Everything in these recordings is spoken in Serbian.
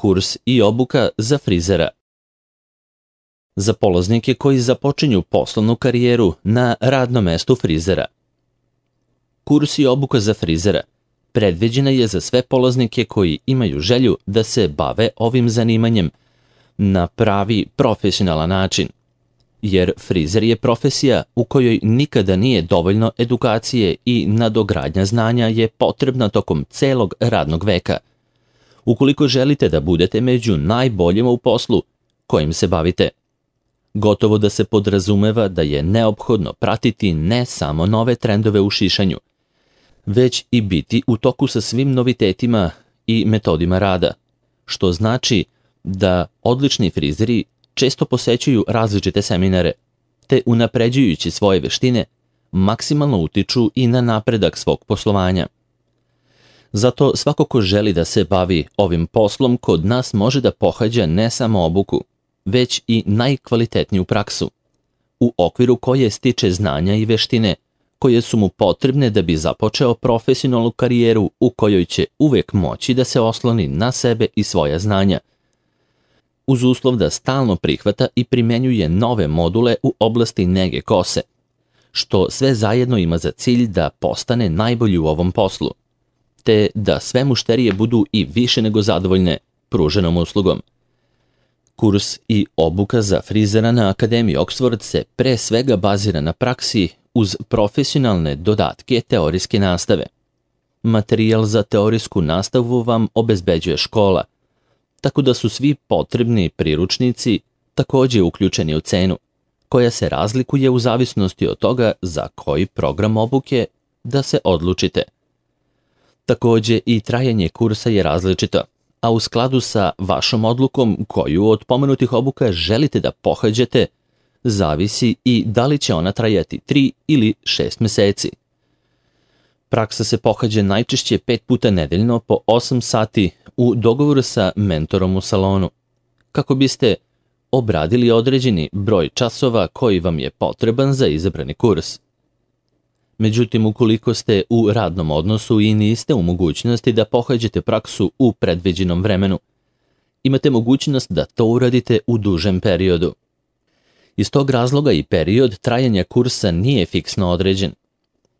Kurs i obuka za frizera. Za polaznike koji započinju poslovnu karijeru na radnom mestu frizera. Kurs i obuka za frizera predviđena je za sve polaznike koji imaju želju da se bave ovim zanimanjem na pravi profesionalan način, jer frizer je profesija u kojoj nikada nije dovoljno edukacije i nadogradnja znanja je potrebna tokom celog radnog veka. Ukoliko želite da budete među najboljima u poslu kojim se bavite, gotovo da se podrazumeva da je neophodno pratiti ne samo nove trendove u šišanju, već i biti u toku sa svim novitetima i metodima rada, što znači da odlični frizeri često posećuju različite seminare, te unapređujući svoje veštine, maksimalno utiču i na napredak svog poslovanja. Zato svako ko želi da se bavi ovim poslom kod nas može da pohađa ne samo obuku, već i najkvalitetniju praksu, u okviru koje stiče znanja i veštine koje su mu potrebne da bi započeo profesionalnu karijeru u kojoj će uvek moći da se osloni na sebe i svoja znanja, uz uslov da stalno prihvata i primenjuje nove module u oblasti nege kose, što sve zajedno ima za cilj da postane najbolji u ovom poslu, te da sve mušterije budu i više nego zadovoljne pruženom uslugom. Kurs i obuka za frizera na Akademiji Oxford se pre svega bazira na praksi uz profesionalne dodatke teorijske nastave. Materijal za teorijsku nastavu vam obezbeđuje škola, tako da su svi potrebni priručnici takođe uključeni u cenu, koja se razlikuje u zavisnosti od toga za koji program obuke da se odlučite. Takođe i trajanje kursa je različito, a u skladu sa vašom odlukom koju od pomenutih obuka želite da pohađate, zavisi i da li će ona trajati 3 ili 6 meseci. Praksa se pohađa najčešće 5 puta nedeljno po 8 sati u dogovoru sa mentorom u salonu, kako biste obradili određeni broj časova koji vam je potreban za izabrani kurs. Međutim, ukoliko ste u radnom odnosu i niste u mogućnosti da pohađate praksu u predviđenom vremenu, imate mogućnost da to uradite u dužem periodu. Iz tog razloga i period trajanja kursa nije fiksno određen.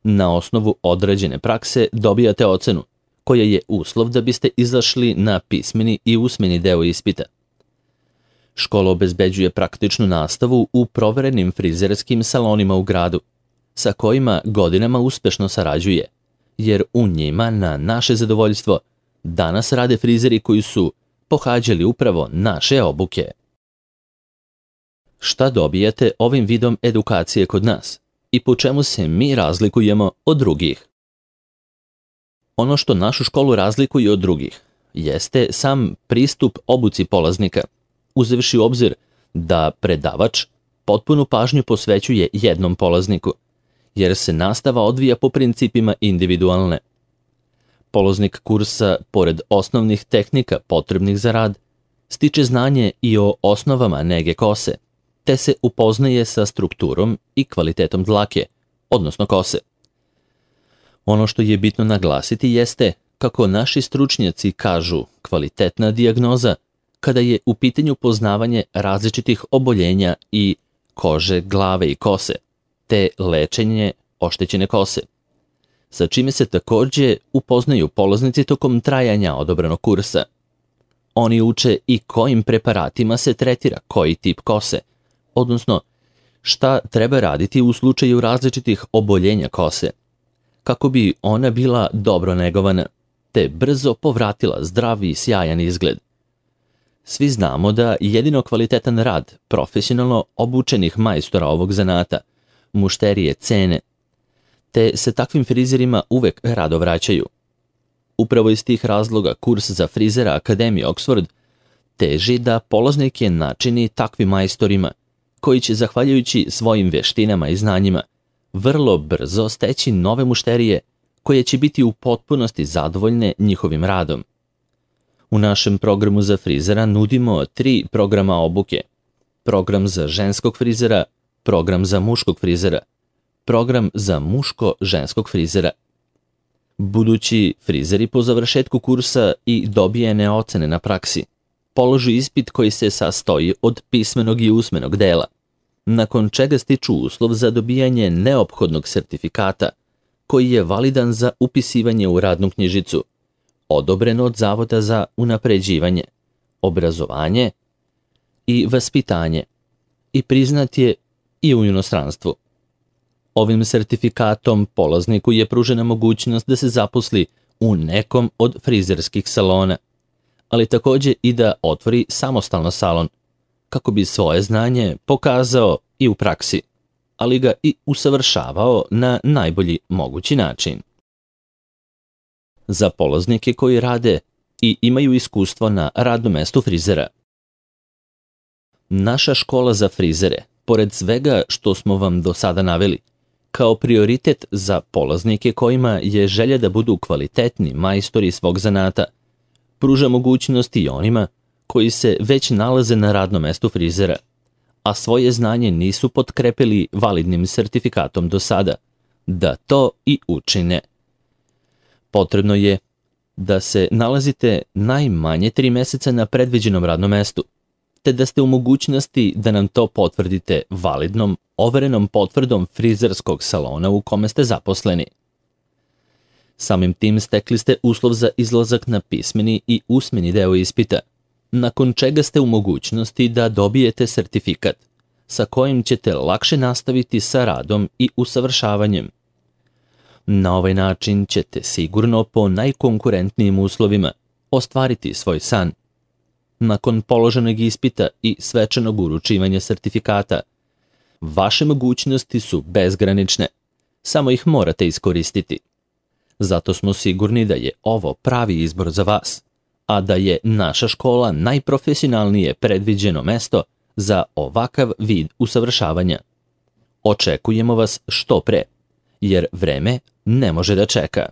Na osnovu određene prakse dobijate ocenu, koja je uslov da biste izašli na pismeni i usmeni deo ispita. Škola obezbeđuje praktičnu nastavu u proverenim frizerskim salonima u gradu, sa kojima godinama uspešno sarađuje, jer u njima na naše zadovoljstvo danas rade frizeri koji su pohađali upravo naše obuke. Šta dobijate ovim vidom edukacije kod nas i po čemu se mi razlikujemo od drugih? Ono što našu školu razlikuje od drugih jeste sam pristup obuci polaznika, uzevši u obzir da predavač potpunu pažnju posvećuje jednom polazniku, jer se nastava odvija po principima individualne. Polaznik kursa, pored osnovnih tehnika potrebnih za rad, stiče znanje i o osnovama nege kose, te se upoznaje sa strukturom i kvalitetom dlake, odnosno kose. Ono što je bitno naglasiti jeste, kako naši stručnjaci kažu, kvalitetna dijagnoza kada je u pitanju poznavanje različitih oboljenja i kože, glave i kose, te lečenje oštećene kose, sa čime se takođe upoznaju polaznici tokom trajanja odobranog kursa. Oni uče i kojim preparatima se tretira koji tip kose, odnosno šta treba raditi u slučaju različitih oboljenja kose, kako bi ona bila dobro negovana, te brzo povratila zdrav i sjajan izgled. Svi znamo da jedino kvalitetan rad profesionalno obučenih majstora ovog zanata mušterije cene, te se takvim frizerima uvek rado vraćaju. Upravo iz tih razloga kurs za frizera Akademije Oxford teži da polaznike načini takvim majstorima, koji će, zahvaljujući svojim veštinama i znanjima, vrlo brzo steći nove mušterije koje će biti u potpunosti zadovoljne njihovim radom. U našem programu za frizera nudimo 3 programa obuke: program za ženskog frizera, program za muškog frizera, program za muško-ženskog frizera. Budući frizeri po završetku kursa i dobijene ocene na praksi položi ispit koji se sastoji od pismenog i usmenog dela, nakon čega stiču uslov za dobijanje neophodnog sertifikata, koji je validan za upisivanje u radnu knjižicu, odobren od Zavoda za unapređivanje, obrazovanje i vaspitanje i priznat je i u inostranstvu. Ovim sertifikatom polazniku je pružena mogućnost da se zaposli u nekom od frizerskih salona, ali takođe i da otvori samostalno salon, kako bi svoje znanje pokazao i u praksi, ali ga i usavršavao na najbolji mogući način. Za polaznike koji rade i imaju iskustvo na radnom mestu frizera. Naša škola za frizere, pored svega što smo vam do sada naveli, kao prioritet za polaznike kojima je želja da budu kvalitetni majstori svog zanata, pruža mogućnosti i onima koji se već nalaze na radnom mestu frizera, a svoje znanje nisu potkrepili validnim sertifikatom do sada, da to i učine. Potrebno je da se nalazite najmanje 3 meseca na predviđenom radnom mestu, te da ste u mogućnosti da nam to potvrdite validnom, overenom potvrdom frizerskog salona u kome ste zaposleni. Samim tim stekli ste uslov za izlazak na pismeni i usmeni deo ispita, nakon čega ste u mogućnosti da dobijete sertifikat, sa kojim ćete lakše nastaviti sa radom i usavršavanjem. Na ovaj način ćete sigurno po najkonkurentnijim uslovima ostvariti svoj san. Nakon položenog ispita i svečanog uručivanja sertifikata, vaše mogućnosti su bezgranične, samo ih morate iskoristiti. Zato smo sigurni da je ovo pravi izbor za vas, a da je naša škola najprofesionalnije predviđeno mesto za ovakav vid usavršavanja. Očekujemo vas što pre, jer vreme ne može da čeka.